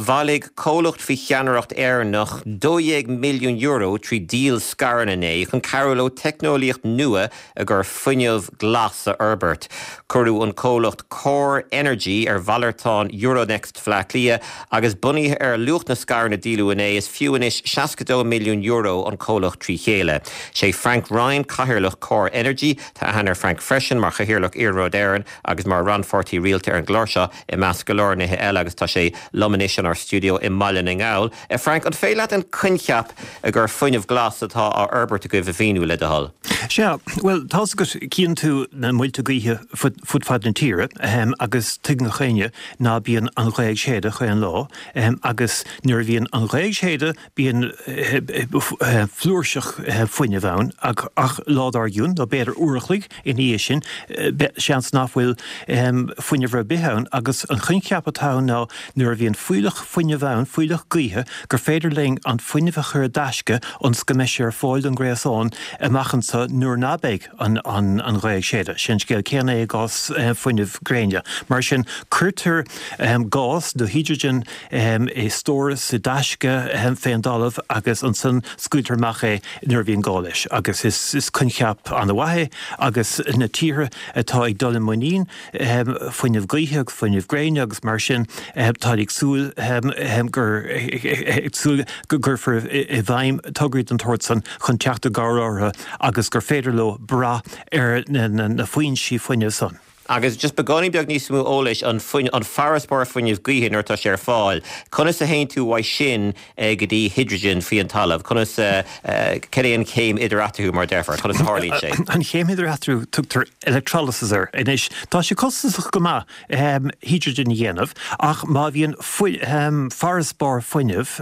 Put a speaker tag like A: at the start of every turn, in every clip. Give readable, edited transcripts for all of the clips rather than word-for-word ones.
A: Bhailigh comhlacht faoi cheannaireacht Éireannach €12 milliún trí dhíol scaireanna inné chun cabhrú leo teicneolaíocht nua i gcomhair fuinneamh glas a fhorbairt. Cuireadh an comhlacht Core Energy ar mhalartán Euronext Bhaile Átha Cliath agus bunaithe ar luach na scaireanna a díoladh inné, is fiú anois €62 milliún an comhlacht trí chéile. Sé Frank Ryan cathaoirleach Core Energy. Tá aithne ar Frank freisin mar chathaoirleach Iarnród Éireann agus mar rannpháirtí rialta ar an gclár seo i measc go leor nithe eile agus tá sé liom anois inár stiúideo i mBaile na nGall. A Frank, an féidir leat an coincheap i gcomhair fuinneamh glas atá á fhorbairt agaibh a mhíniú, le do thoil?
B: Sea, bhuel, tá's agat, cíonn tú na muilte gaoithe fud fad na tíre agus tuigeann gach éinne ná bíonn an ghaoth ag séideadh chaon lá agus nuair a bhíonn an ghaoth ag séideadh bíonn flúirseach fuinnimh ann ach lá dár gcionn, nó b'fhéidir uair a chloig ina dhiaidh sin, seans nach bhfuil fuinneamh ar bith ann agus an coincheap atá ann ná nuair a bhíonn fuílleach fuinnimh ann, fuílleach gaoithe, gur féidir linn an fuinneamh a chur i dtaisce ionas go mbeidh sé ar fáil don ghréasán amach anseo nuair ná beidh an ghaoth ag séideadh. Sé an scéal céanna é i gcás fuinneamh gréine. Mar sin, cuirtear gás nó hidrigin i stóras, i dtaisce fén dtalamh agus ansan scaoiltear amach é nuair a bhíonn gá leis. Agus is coincheap an-mhaith é agus na tíortha atá ag dul i muinín fuinneamh gaoithe agus fuinneamh gréine agus mar sin táid ag súil gur ag súil go gcuirfear i bhfeidhm tograí den tsórt san chun teacht i gcabhair orthu agus gur féidir leo brath ar na foinsí fuinnimh san.
A: Agus just beagáinín beag níos mó eolais, an an farasbarr fuinnimh gaoithe nuair atá sé ar fáil, conas a théann tú uaidh sin go dtí hidrigin faoi an talamh? Conas, cad é an chéim idir eatarthu mar a déarfá? Conas a tharlaíonn sé?
B: An chéim idir eatarthu, tugtar electrolysis air. Anois, tá sé costasach go maith hidrigin a dhéanamh ach má bhíonn farasbarr fuinnimh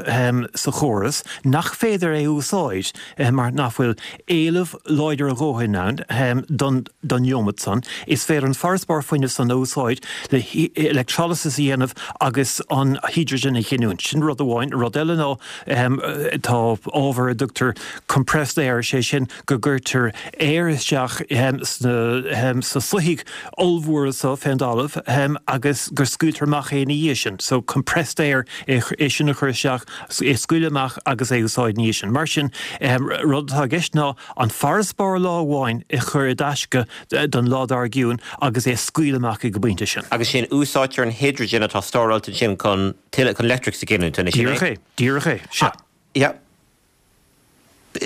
B: sa chóras nach féidir é a úsáid mar nach bhfuil éileamh láidir a dhóthain ann don don neomat san, is féidir an farasbarr fuinnimh san a úsáid le electrolysis a dhéanamh agus an hidrigin a ghiniúint. Sin rud amháin. Rud eile ná tá ábhar a dtugtar compressed air, sé sin go gcuirtear aer isteach sna soithigh ollmhóra so fén dtalamh agus go scaoiltear amach é ina dhiaidh sin. So compressed air, é sin a chur isteach, é a scaoileadh amach agus é a úsáid ina dhiaidh sin. Mar sin, rud atá i gceist ná an farasbarr lá amháin a chur i dtaisce don lá dár gcionn agus é a scaoileadh amach ag an bpointe sin.
A: Agus sin, úsáidtear an hidrigin atá stóráilte ansin chun tuilleadh, chun leictreachas a ghiniúint, an
B: sin é? Díreach é, díreach é, sea.
A: Yeah.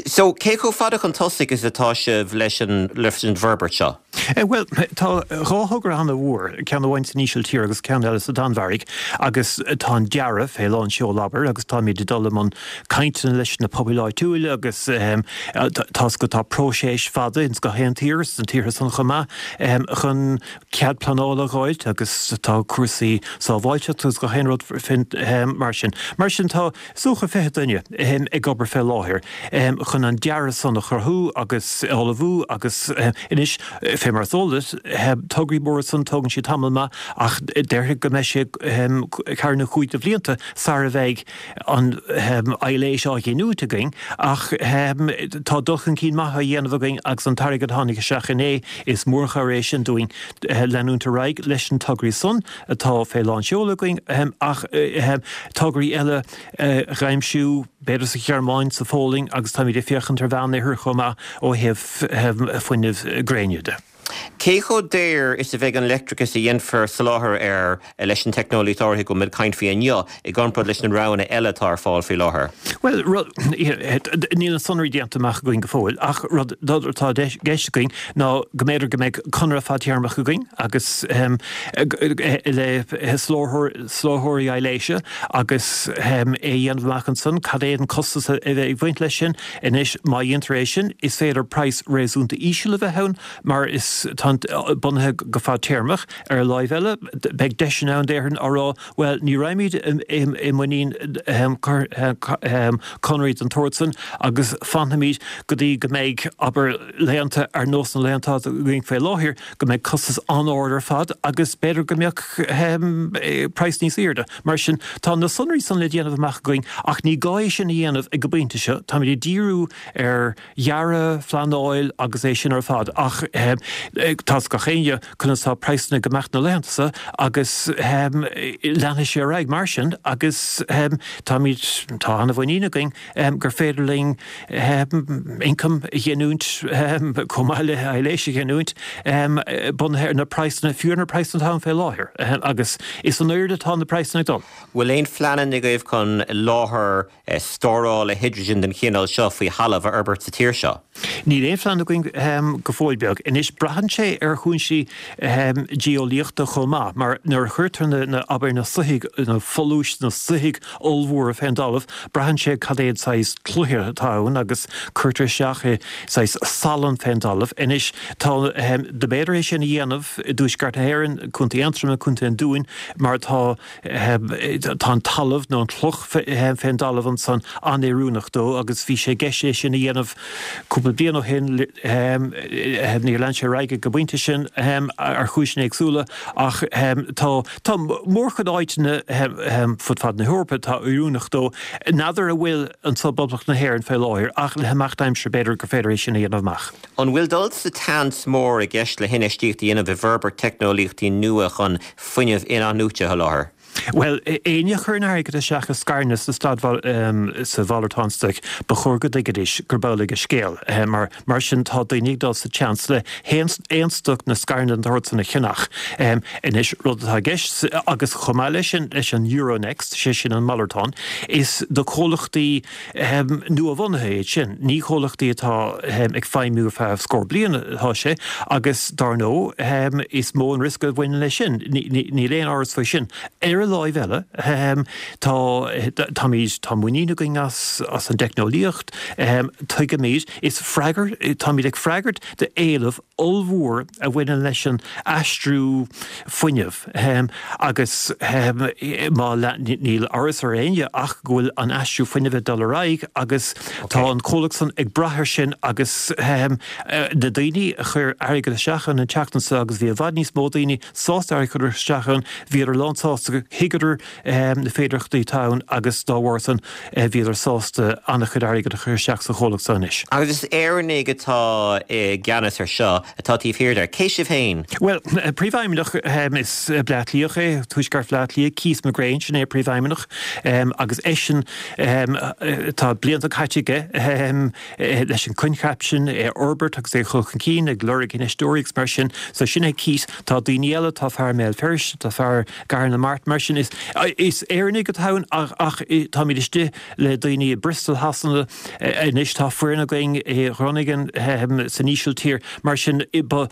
A: So, cé chomh fada chun tosaigh is atá sibh leis an, leis an bhforbairt seo?
B: Bhuel, tá dhá thogra an-mhór, ceann amháin san Ísiltír agus ceann eile sa Danmhairg, agus tá an dearadh fé lán seol, abair, agus táimid ag dul i mbun cainteanna leis na pobail áitiúil agus tá's agat tá próiseas fada ins gach aon tír, sna tíortha san chomh maith, chun cead pleanála a dh'fháilt agus tá cúrsaí sábháilteachta agus gach aon rud mar sin. Mar sin tá is dócha 20 duine ag obair fé láthair chun an dearadh san a chruthú agus a ullmhú agus anois, fé mar is eol duit, tograí móra san tógann siad tamall maith ach déarfainn go mbeidh sé ceathair nó chúig de bhlianta sara bheidh an aibhléis á ghiniúint againn ach tá dul chun cinn maith á dhéanamh againn agus an t-airgead a tháinig isteach inné, is mórchabhair é sin dúinn leanúint ar aghaidh leis na tograí san atá fé lán seoil againn ach tograí eile a dh'aimsiú, b'fhéidir sa Ghearmáin, sa Pholainn agus táimid ag féachaint ar Mheánoirthear chomh maith ó thaobh fuinneamh gréine de.
A: Cé chomh daor is a bheidh an leictreachas a dhéanfar soláthar air leis an teicneolaíocht áirithe go bhfuil muid ag caint faoi inniu, i gcomparáid leis na roghanna eile atá ar fáil faoi láthair?
B: Bhuel, rud, níl na sonraí déanta amach againn go fóill, ach rud atá i gceist againn ná go mb'fhéidir go mbeidh conradh fadtéarmach againn agus le soláthróirí aibhléise agus é a dhéanamh amach ansan cad é an costas a bheidh ag baint leis sin. Anois, má dhéantar é sin, is féidir praghas réasúnta íseal a bheith ann mar is tá bunaithe go fadtéarmach. Ar an láimh eile, beidh deiseanna ann déarfainn á rá, bhuel, ní raghaimid i muinín conarthaí den tsórt san agus fanfaimid go dtí go mbeidh, abair, laethanta ar nós na laethanta atá againn faoi láthair, go mbeidh costas an-ard ar fad agus b'fhéidir go mbeadh praghas níos airde. Mar sin, tá na sonraí san le déanamh amach againn ach ní gá é sin a dhéanamh ag an bpointe seo. Táimid ag díriú ar dhearadh, phleanáil agus é sin ar fad ach. Tá's ag gach éinne conas tá praghsanna ag imeacht na laethanta seo agus leanfaidh sé ar aghaidh mar sin agus táimid, tá an-mhuinín againn gur féidir linn ioncam a ghiniúint chomh maith le aibhléis a ghiniúint bunaithe ar na praghsanna, fiú ar na praghsanna atá ann fé láthair agus is in airde atá na praghsanna ag dul.
A: Bhfuil aon phleananna agaibh chun láthair stórála hidrigin den chineál seo faoi thalamh a fhorbairt sa tír seo?
B: Níl aon phlean againn go fóill beag. Anois, braitheann sé ar chúinsí geolaíochta chomh maith, mar nuair a chuirtear na, abair, na soithigh, na folúis, na soithigh ollmhóra fén dtalamh, braitheann sé cad é an saghas cloiche atá ann agus cuirtear isteach i saghas salann fén dtalamh. Anois, tá, do b'fhéidir é sin a dhéanamh i dtuaisceart na hÉireann, Contae Aontroma, Contae an Dúin, mar tá, Tá an talamh nó an chloch fén dtalamh ansan an-oiriúnach dó agus bhí sé i gceist é sin a dhéanamh cúpla bliain ó shin. Níor lean sé ar aghaidh ag an bpointe sin ar chúiseanna éagsúla ach tá tá mórchuid áiteanna fud fad na hEorpa atá oiriúnach dó. N'fheadar a bhfuil anso i bPoblacht na hÉireann fé láthair ach le himeacht aimsire b'fhéidir gur féidir é sin a dhéanamh amach.
A: An bhfuil dul sa tseans mór i gceist le hinfheistíocht a dhéanamh i bhforbairt teicneolaíochtaí nua chun fuinneamh in-athnuaite a sholáthar?
B: Bhuel, éinne a chuireann airgead isteach i scaireanna sa staid sa mhalartán stoic, ba chóir go dtuigfidís gurb amhlaidh an scéal. Mar mar sin tá daoine ag dul sa tseans le haon aon stoc nó scaireanna den tsórt san a cheannach. Anois, rud atá i gceist, agus chomh maith leis sin, leis an Euronext, sé sin an malartán, is do chomhlachtaí nua-bhunaithe iad sin. Ní comhlachtaí atá ag feidhmiú ar feadh scór bliain atá sé agus dar ndóigh is mó an riosca a bhaineann leis sin. Níl aon amhras faoi sin. Ar an láimh eile, tá, táimid, tá muinín againn as an dteicneolaíocht, tuigimid, is freagair, táimid ag freagairt d'éileamh ollmhór a bhaineann leis an aistriú fuinnimh agus má níl amhras ar éinne ach go bhfuil an aistriú fuinnimh ag dul ar aghaidh agus tá an comhlacht san ag brath air sin agus na daoine a chuir airgead isteach ann an tseachtain seo agus bhí i bhfad níos mó daoine sásta airgead a chur isteach ann, bhíodar lán sásta, thuigeadar na féidearthachtaí atá ann agus dá bharr san bhíodar sásta an-chuid airgid a chur isteach sa chomhlacht seo anois.
A: Agus is Éireannaigh atá i gceannas ar seo, atá taobh thiar de. Cé sibh féin?
B: Bhuel, príomhfheidhmeannach, is Bleá Cliathach é, Tuaisceart Bhleá Cliath, Keith McGrane, sin é príomhfheidhmeannach agus eisean, tá blianta caite aige leis an coincheap sin é a fhorbairt agus é a chur chun cinn, ag lorg infheisteoirí agus mar sin. So sin é Keith. Tá daoine eile, tá fear i mBéal Feirste, tá fear i gCathair na Mart, mar sin is Éireannaigh atá ann ach táimid istigh le daoine i Bristol Shasana anois, tá foireann againn i Groningen san Ísiltír, mar sin ba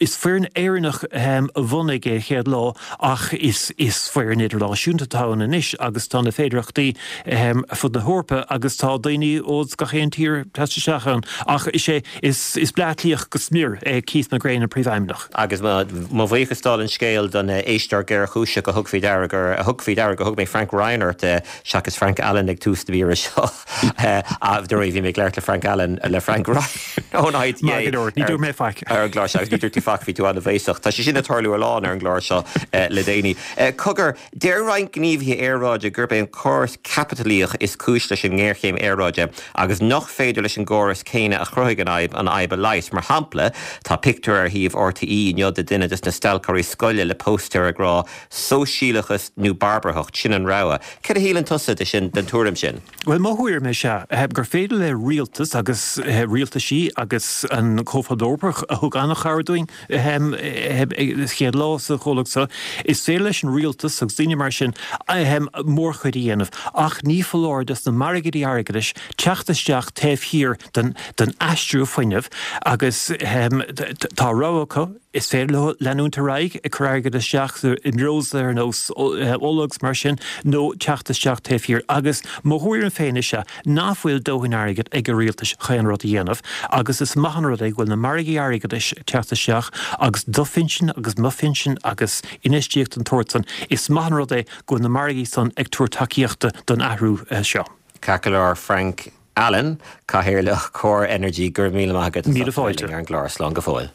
B: is foireann Éireannach a bhunaigh é chéad lá ach is foireann idirnáisiúnta atá ann anois agus tá na féidearthachtaí ar fud na hEorpa agus tá daoine ó gach aon tír ag teacht isteach ann ach is é Is Bleá Cliathach go smior é Keith McGrane an Príomhfheidhmeannach.
A: Agus mo bhuíochas dála an scéil don éisteoir géarchúiseach a thug faoi deara gur a thug faoi deara gur thug mé Frank Ryan ort seachas Frank Allen ag tús na míre seo. Dáiríre bhí mé ag labhairt le Frank Allen le Frank Ryan ón IDA.
B: Maith go leor, ní dúirt mé faic.
A: Ar an gclár seo agus ní dúirt tú faic, bhí tú an-bhéasach. Tá sé sin ag tarlú a lán ar an gclár seo le déanaí. Cogar, Deir roinnt gníomhaithe aeráide gurb é an córas caipitlíoch is cúis leis an ngéarchéim aeráide agus nach féidir leis an gcóras céanna a chruthaigh an fhadhb an fhadhb a leigheas. Mar shampla, tá pictiúr ar shuíomh RTÉ inniu de duine des na stailceoirí scoile le póstaer ag rá 'Sóisialachas nó barbarthacht, sin an rogha'. Céard a shíleann tusa de sin, den tuairim sin?
B: Bhuel, mo thuairim is ea gur féidir le rialtas agus rialtaisí agus an Comhphobal Eorpach a thug an-chabhair dúinn, an chéad lá sa chomhlacht seo. Is féidir leis an rialtas agus daoine mar sin mórchuid a dhéanamh, ach ní foláir dos na margaidí airgeadais teacht isteach taobh thiar den aistriú fuinnimh agus tá rogha acu, is féidir leo leanúint ar aghaidh ag cur airgead isteach i mbreosla ar nós ola agus mar sin nó teacht isteach taobh thiar. Agus mo thuairim féin is ea nach bhfuil dóthain airgid ag an rialtais chaon rud a dhéanamh agus is maith an rud é go bhfuil na margaí airgeadais ag teacht isteach agus do phinsean agus mo phinsean agus infheistíocht den tsórt san, is maith an rud é go bhfuil na margaí san ag tabhairt tacaíochta don athrú seo.
A: Ceart go leor, Frank Allen, Cathaoirleach Core Energy, go raibh míle maith agat as
B: ucht a bheith
A: linn ar an gclár. Slán go fóill.